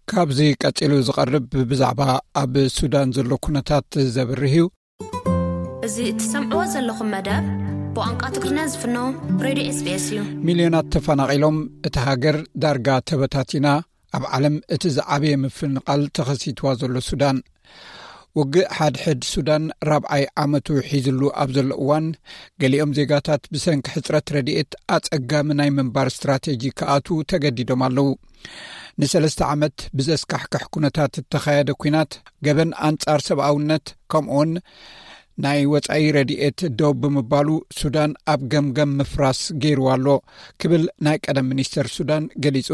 ካብዚ ቀጺሉ ዝቐርብ ብዛዕባ ኣብ ሱዳን ዘሎ ኩነታት ዘብርህ እዩ። እዚ እትሰምዕዎ ዘለኹም መደብ ብቋንቋ ትግርኛ ዝፍኖ ሬድዮ ኤስቢኤስ እዩ። ሚልዮናት ተፈናቒሎም፣ እታ ሃገር ዳርጋ ተበታቲና፣ ኣብ ዓለም እቲ ዝዓበየ ምፍንቓል ተኸሲትዋ ዘሎ ሱዳን። ውግእ ሓድሕድ ሱዳን ራብዓይ ዓመቱ ሒዝሉ ኣብ ዘሎ እዋን፣ ገሊኦም ዜጋታት ብሰንኪ ሕጽረት ረድኤት ኣጸጋሚ ናይ ምንባር ስትራቴጂ ክኣትዉ ተገዲዶም ኣለዉ። ንሰለስተ ዓመት ብዘስካሕክሕ ኩነታት እተኻየደ ኲናት፣ ገበን ኣንጻር ሰብኣውነት፣ ከምኡውን ናይ ወጻኢ ረድኤት ደው ብምባሉ፣ ሱዳን ኣብ ገምገም ምፍራስ ገይርዋ ኣሎ ክብል ናይ ቀደም ሚኒስተር ሱዳን ገሊጹ።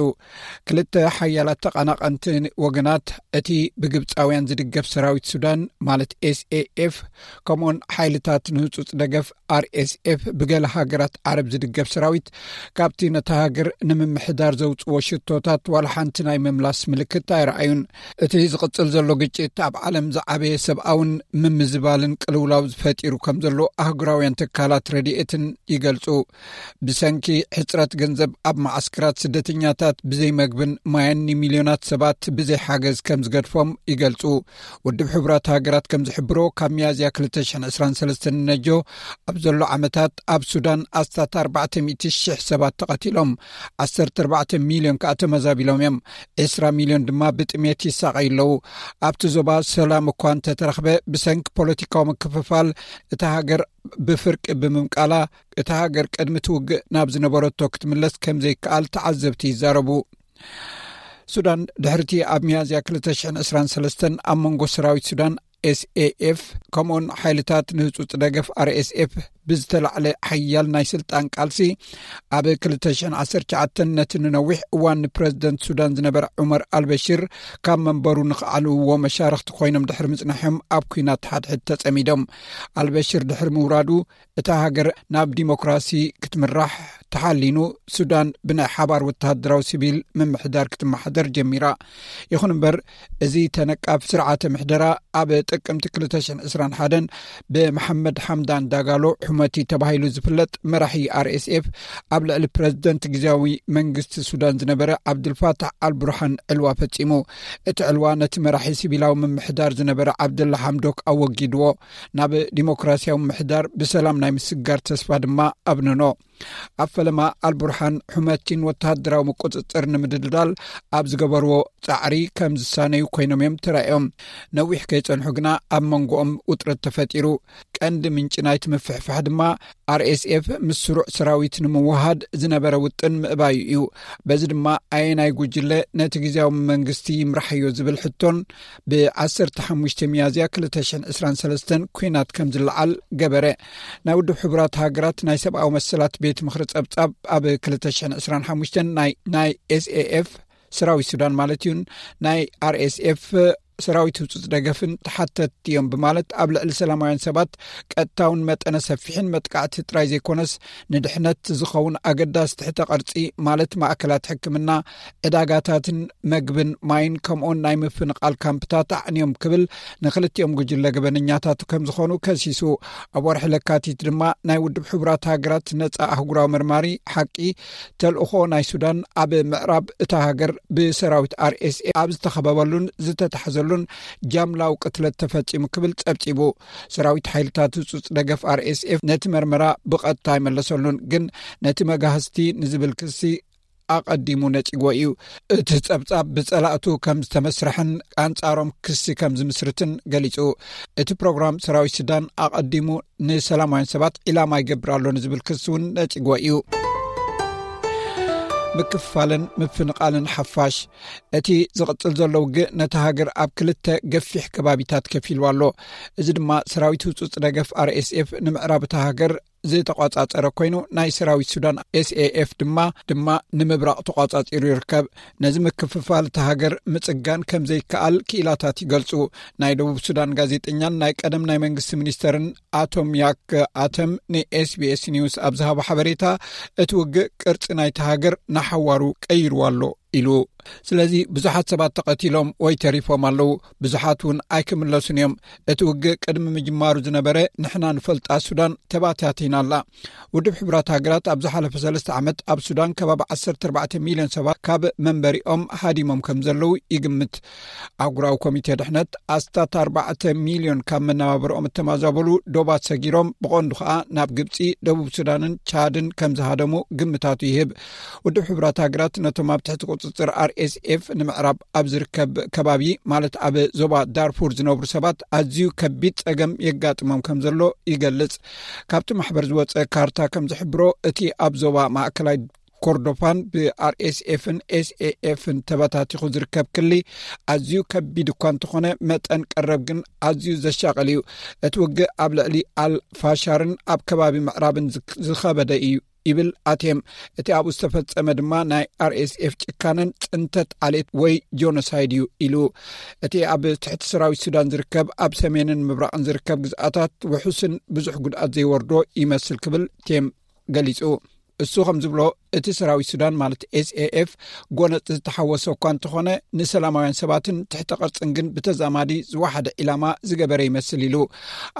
ክልተ ሓያላት ተቐናቐንቲ ወገናት፣ እቲ ብግብጻውያን ዝድገፍ ሰራዊት ሱዳን ማለት ኤስኤኤፍ፣ ከምኡውን ሓይልታት ንህጹጽ ደገፍ ኣርኤስኤፍ፣ ብገለ ሃገራት ዓረብ ዝድገፍ ሰራዊት፣ ካብቲ ነታ ሃገር ንምምሕዳር ዘውጽዎ ሽቶታት ዋላ ሓንቲ ናይ ምምላስ ምልክት ኣይረኣዩን። እቲ ዝቕጽል ዘሎ ግጭት ኣብ ዓለም ዝዓበየ ሰብኣውን ምምዝባልን ቅልውላው ዝፈጢሩ ከም ዘሎ ኣህጉራውያን ትካላት ረድኤትን ይገልጹ። ብሰንኪ ሕጽረት ገንዘብ ኣብ መዓስከራት ስደተኛታት ብዘይ መግብን ማይን ንሚልዮናት ሰባት ብዘይ ሓገዝ ከም ዝገድፎም ይገልጹ። ውድብ ሕቡራት ሃገራት ከም ዝሕብሮ፣ ካብ ሚያዝያ ክልተ ሽሕን ዕስራን ሰለስተን ነጆ ኣብ ዘሎ ዓመታት ኣብ ሱዳን ኣስታት ኣርባዕተ ሚእቲ ሽሕ ሰባት ተቐቲሎም፣ ዓሰርተ ኣርባዕተ ሚልዮን ከኣ ተመዛቢሎም እዮም። ዕስራ ሚልዮን ድማ ብጥሜት ይሳቐዩ ኣለዉ። ኣብቲ ዞባ ሰላም እኳ እንተተረኽበ፣ ብሰንኪ ፖለቲካዊ ምክፍፋል እታ ሃገር ብፍርቂ ብምምቃላ፣ እታ ሃገር ቅድሚ እቲ ውግእ ናብ ዝነበረቶ ክትምለስ ከም ዘይከኣል ተዓዘብቲ ይዛረቡ። ሱዳን ድሕርቲ ኣብ ሚያዝያ ክልተ ሽሕን ዕስራን ሰለስተን ኣብ መንጎ ሰራዊት ሱዳን ኤስኤኤፍ ከምኡን ሓይልታት ንህጹጽ ደገፍ ኣርኤስኤፍ ብዝተላዕለ ሓያል ናይ ስልጣን ቃልሲ፣ ኣብ ክልተ ሽሕን ዓሰርተ ትሽዓተን ነቲ ንነዊሕ እዋን ንፕረዚደንት ሱዳን ዝነበረ ዑመር ኣልበሽር ካብ መንበሩ ንኽዓልውዎ መሻርኽቲ ኮይኖም ድሕሪ ምጽናሖም፣ ኣብ ኲናት ሓድሕድ ተጸሚዶም። ኣልበሽር ድሕሪ ምውራዱ፣ እታ ሃገር ናብ ዲሞክራሲ ክትምራሕ ተሓሊኑ፣ ሱዳን ብናይ ሓባር ወተሃደራዊ ሲቪል ምምሕዳር ክትመሓደር ጀሚራ። ይኹን እምበር፣ እዚ ተነቃፍ ስርዓተ ምሕደራ ኣብ ጥቅምቲ ክልተ ሽሕን ዕስራን ሓደን ብመሓመድ ሓምዳን ዳጋሎ ሑመቲ ተባሂሉ ዝፍለጥ መራሒ ኣርኤስኤፍ ኣብ ልዕሊ ፕረዚደንት ግዝያዊ መንግስቲ ሱዳን ዝነበረ ዓብዱልፋታሕ ኣልቡርሃን ዕልዋ ፈጺሙ። እቲ ዕልዋ ነቲ መራሒ ሲቪላዊ ምምሕዳር ዝነበረ ዓብደላ ሓምዶክ ኣወጊድዎ። ናብ ዲሞክራሲያዊ ምሕዳር ብሰላም ናይ ምስጋር ተስፋ ድማ ኣብነኖ። ኣብ ፈለማ ኣልቡርሃን ሑመቲን ወተሃደራዊ ምቁጽጽር ንምድልዳል ኣብ ዝገበርዎ ጻዕሪ ከም ዝሳነዩ ኮይኖም እዮም ተራእዮም። ነዊሕ ከይጸንሑ ግና ኣብ መንጎኦም ውጥረት ተፈጢሩ። ቀንዲ ምንጪ ናይቲ ምፍሕፋሕ ድማ ኣርኤስኤፍ ምስ ስሩዕ ሰራዊት ንምውሃድ ዝነበረ ውጥን ምእባዩ እዩ። በዚ ድማ ኣየናይ ጉጅለ ነቲ ግዝያዊ መንግስቲ ይምራሕዮ ዝብል ሕቶን ብ ዓሰርተ ሓሙሽተ ሚያዝያ ክልተ ሽሕን ዕስራን ሰለስተን ኲናት ከም ዝለዓል ገበረ። ናይ ውድብ ሕቡራት ሃገራት ናይ ሰብኣዊ መሰላት ቤት ምኽሪ ጸብጻብ፣ ኣብ ክልተ ሽሕን ዕስራን ሓሙሽተን ናይ፣ ናይ ኤስኤኤፍ ሰራዊት ሱዳን ማለት እዩን ናይ ኣርኤስኤፍ ሰራዊት ህጹጽ ደገፍን ተሓተትቲ እዮም ብማለት፣ ኣብ ልዕሊ ሰላማውያን ሰባት ቀጥታውን መጠነ ሰፊሕን መጥቃዕቲ ጥራይ ዘይኮነስ፣ ንድሕነት ዝኸውን ኣገዳሲ ትሕተ ቅርጺ ማለት ማእከላት ሕክምና፣ ዕዳጋታትን መግብን ማይን ከምኡውን ናይ ምፍንቓል ካምፕታት ኣዕንዮም ክብል ንክልቲኦም ጉጅለ ገበነኛታት ከም ዝኾኑ ከሲሱ። ኣብ ወርሒ ለካቲት ድማ ናይ ውድብ ሕቡራት ሃገራት ነጻ ኣህጉራዊ መርማሪ ሓቂ ተልእኾ ናይ ሱዳን ኣብ ምዕራብ እታ ሃገር ብሰራዊት ኣርኤስኤፍ ኣብ ዝተኸበበሉን ዝተታሕዘሉን ጃምላዊ ቅትለት ተፈጺሙ ክብል ጸብጺቡ። ሰራዊት ሓይልታት ህጹጽ ደገፍ ኣርኤስኤፍ ነቲ መርመራ ብቐጥታ ኣይመለሰሉን፣ ግን ነቲ መጋህስቲ ንዝብል ክሲ ኣቐዲሙ ነጺግዎ እዩ። እቲ ጸብጻብ ብጸላእቱ ከም ዝተመስርሐን ኣንጻሮም ክሲ ከም ዝምስርትን ገሊጹ። እቲ ፕሮግራም ሰራዊት ሱዳን ኣቐዲሙ ንሰላማውያን ሰባት ዒላማ ይገብር ኣሎ ንዝብል ክሲ እውን ነጺግዎ እዩ። ምክፍፋልን ምፍንቓልን ሓፋሽ። እቲ ዝቕጽል ዘሎ ውግእ ነቲ ሃገር ኣብ ክልተ ገፊሕ ከባቢታት ከፊልዋ ኣሎ። እዚ ድማ ሰራዊት ህጹጽ ደገፍ ኣርኤስኤፍ ንምዕራብ እታ ሃገር ዝተቋጻጸረ ኮይኑ፣ ናይ ሰራዊት ሱዳን ኤስኤኤፍ ድማ፣ ድማ ንምብራቕ ተቋጻጺሩ ይርከብ። ነዚ ምክፍፋል እታ ሃገር ምጽጋን ከም ዘይከኣል ክኢላታት ይገልጹ። ናይ ደቡብ ሱዳን ጋዜጠኛን ናይ ቀደም ናይ መንግስቲ ሚኒስተርን ኣቶም ያክ ኣተም ንኤስቢኤስ ኒውስ ኣብ ዝሃቦ ሓበሬታ፣ እቲ ውግእ ቅርጺ ናይታ ሃገር ንሓዋሩ ቀይርዋ ኣሎ። ኢሉ። ስለዚ ብዙሓት ሰባት ተቐቲሎም ወይ ተሪፎም ኣለዉ፣ ብዙሓት እውን ኣይክምለሱን እዮም። እቲ ውግእ ቅድሚ ምጅማሩ ዝነበረ ንሕና ንፈልጣ ሱዳን ተባታቲና ኣላ። ውድብ ሕቡራት ሃገራት ኣብ ዝሓለፈ ሰለስተ ዓመት ኣብ ሱዳን ከባቢ ዓሰርተ ኣርባዕተ ሚልዮን ሰባት ካብ መንበሪኦም ሃዲሞም ከም ዘለዉ ይግምት። ኣህጉራዊ ኮሚቴ ድሕነት ኣስታት ኣርባዕተ ሚልዮን ካብ መነባብርኦም እተማዛበሉ ዶባት ሰጊሮም ብቐንዱ ከኣ ናብ ግብጺ፣ ደቡብ ሱዳንን ቻድን ከም ዝሃደሙ ግምታቱ ይህብ። ውድብ ሕቡራት ሃገራት ነቶም ኣብ ትሕቲ ቁጽጽር ኣር ኤስ ኤፍ ንምዕራብ ኣብ ዝርከብ ከባቢ፣ ማለት ኣብ ዞባ ዳርፉር ዝነብሩ ሰባት ኣዝዩ ከቢድ ጸገም የጋጥሞም ከም ዘሎ ይገልጽ። ካብቲ ማሕበር ዝወጸ ካርታ ከም ዝሕብሮ፣ እቲ ኣብ ዞባ ማእከላይ ኮርዶፋን ብ ኣር ኤስ ኤፍን ኤስ ኤ ኤፍን ተበታቲኹ ዝርከብ ክሊ ኣዝዩ ከቢድ እኳ እንተኾነ፣ መጠን ቀረብ ግን ኣዝዩ ዘሻቕል እዩ። እቲ ውግእ ኣብ ልዕሊ ኣል ፋሻርን ኣብ ከባቢ ምዕራብን ዝክ-፣ ዝኸበደ እዩ ይብል ኣቴም። እቲ ኣብኡ ዝተፈጸመ ድማ ናይ ኣር ኤስ ኤፍ ጭካነን ጽንተት ዓሌት ወይ ጆኖሳይድ እዩ ኢሉ። እቲ ኣብ ትሕቲ ሰራዊት ሱዳን ዝርከብ፣ ኣብ ሰሜንን ምብራቕን ዝርከብ ግዝኣታት ውሑስን ብዙሕ ጉድኣት ዘይወርዶ ይመስል ክብል ቴም ገሊጹ። እሱ ከም ዝብሎ፣ እቲ ሰራዊት ሱዳን ማለት ኤስ ኤ ኤፍ ጎነጽ ዝተሓወሰ እኳ እንተኾነ፣ ንሰላማውያን ሰባትን ትሕተ ቅርጽን ግን ብተዛማዲ ዝወሓደ ዒላማ ዝገበረ ይመስል ኢሉ።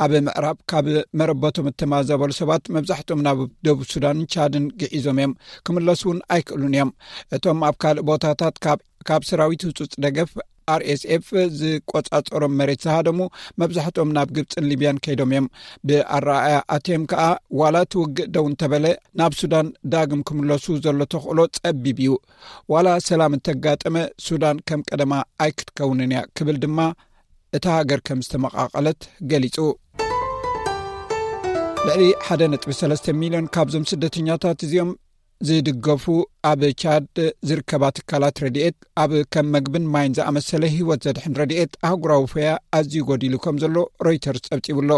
ኣብ ምዕራብ ካብ መረበቶም እተማዘበሉ ሰባት መብዛሕትኦም ናብ ደቡብ ሱዳንን ቻድን ግዒዞም እዮም። ክምለሱ እውን ኣይክእሉን እዮም። እቶም ኣብ ካልእ ቦታታት ካብ፣ ካብ ሰራዊት ህጹጽ ደገፍ ኣር ኤስ ኤፍ ዝቆጻጸሮም መሬት ዝሃደሙ መብዛሕትኦም ናብ ግብጽን ሊብያን ከይዶም እዮም። ብኣረኣእያ ኣቴም ከኣ፣ ዋላ እቲ ውግእ ደው እንተበለ፣ ናብ ሱዳን ዳግም ክምለሱ ዘሎ ተኽእሎ ጸቢብ እዩ። ዋላ ሰላም እንተጋጠመ፣ ሱዳን ከም ቀደማ ኣይክትከውንን እያ ክብል ድማ እታ ሃገር ከም ዝተመቓቐለት ገሊጹ። ልዕሊ ሓደ ነጥቢ ሰለስተ ሚልዮን ካብዞም ስደተኛታት እዚኦም ዝድገፉ ኣብ ቻድ ዝርከባ ትካላት ረድኤት፣ ኣብ ከም መግብን ማይን ዝኣመሰለ ህይወት ዘድሕን ረድኤት ኣህጉራዊ ፈያ ኣዝዩ ጎዲሉ ከም ዘሎ ሮይተርስ ጸብጺቡ ኣሎ።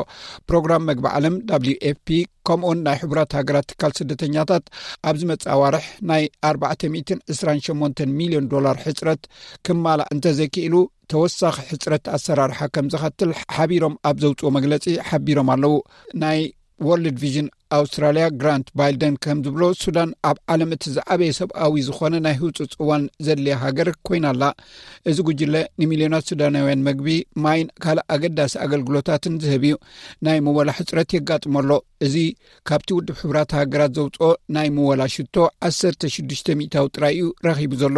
ፕሮግራም መግቢ ዓለም፣ ደብሊው ኤፍ ፒ፣ ከምኡውን ናይ ሕቡራት ሃገራት ትካል ስደተኛታት ኣብ ዝመጽእ ኣዋርሕ ናይ ኣርባዕተ ሚእትን ዕስራን ሸሞንተን ሚልዮን ዶላር ሕጽረት ክማላእ እንተዘይክኢሉ፣ ተወሳኺ ሕጽረት ኣሰራርሓ ከም ዘኸትል ሓቢሮም ኣብ ዘውጽኦ መግለጺ ሓቢሮም ኣለዉ። ናይ ወርልድ ቪዥን ኣውስትራልያ ግራንት ባይልደን ከም ዝብሎ፣ ሱዳን ኣብ ዓለም እቲ ዝዓበየ ሰብኣዊ ዝኾነ ናይ ህጹጽ እዋን ዘድልያ ሃገር ኮይና ኣላ። እዚ ጉጅለ ንሚልዮናት ሱዳናውያን መግቢ፣ ማይን ካልእ ኣገዳሲ ኣገልግሎታትን ዝህብ እዩ። ናይ ምወላ ሕጽረት የጋጥሞ ኣሎ። እዚ ካብቲ ውድብ ሕቡራት ሃገራት ዘውጽኦ ናይ ምወላ ሽቶ ዓሰርተ ሽዱሽተ ሚእታዊ ጥራይ እዩ ረኺቡ ዘሎ።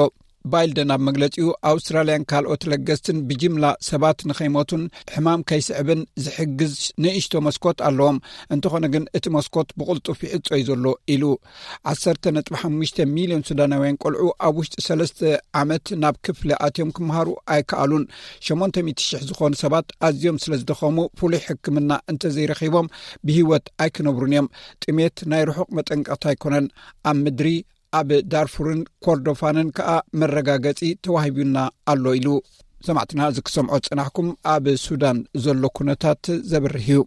ባይልደን ኣብ መግለጺኡ፣ ኣውስትራልያን ካልኦት ለገስትን ብጅምላ ሰባት ንኸይሞቱን ሕማም ከይስዕብን ዝሕግዝ ንእሽቶ መስኮት ኣለዎም። እንተኾነ ግን እቲ መስኮት ብቕልጡፍ ይዕጾ እዩ ዘሎ ኢሉ። ዓሰርተ ነጥቢ ሓሙሽተ ሚልዮን ሱዳናውያን ቆልዑ ኣብ ውሽጢ ሰለስተ ዓመት ናብ ክፍሊ ኣትዮም ክመሃሩ ኣይከኣሉን። ሸሞንተ ሚእቲ ሽሕ ዝኾኑ ሰባት ኣዝዮም ስለ ዝደኸሙ፣ ፍሉይ ሕክምና እንተዘይረኺቦም ብህይወት ኣይክነብሩን እዮም። ጥሜት ናይ ርሑቕ መጠንቀቕታ ኣይኮነን። ኣብ ምድሪ ኣብ ዳርፉርን ኮርዶፋንን ከኣ መረጋገጺ ተዋሂቡና ኣሎ ኢሉ። ሰማዕትና፣ እዚ ክሰምዖ ዝጸናሕኩም ኣብ ሱዳን ዘሎ ኩነታት ዘብርህ እዩ።